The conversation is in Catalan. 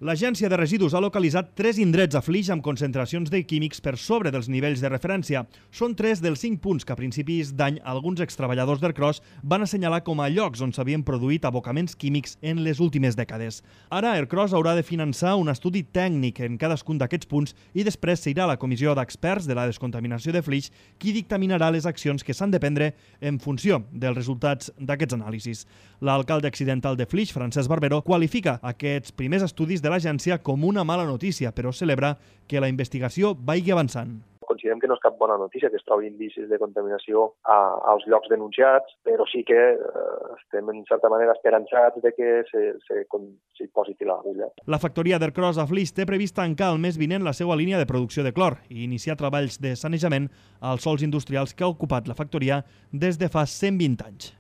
L'Agència de Residus ha localitzat 3 indrets a Flix amb concentracions de químics per sobre dels nivells de referència. Són 3 dels 5 punts que a principis d'any alguns extreballadors d'Ercros van assenyalar com a llocs on s'havien produït abocaments químics en les últimes dècades. Ara Ercros haurà de finançar un estudi tècnic en cadascun d'aquests punts i després s'irà a la comissió d'experts de la descontaminació de Flix qui dictaminarà les accions que s'han de prendre en funció dels resultats d'aquests anàlisis. L'alcalde accidental de Flix, Francesc Barbero, qualifica aquests primers estudis de l'agència com una mala notícia, però celebra que la investigació vagi avançant. Considerem que no és cap bona notícia que es trobin indicis de contaminació als llocs denunciats, però sí que estem en certa manera esperançats de que s'hi posi fil a l'agulla. La factoria d'Ercros a Flix té previst tancar el mes vinent la seva línia de producció de clor i iniciar treballs de sanejament als sòls industrials que ha ocupat la factoria des de fa 120 anys.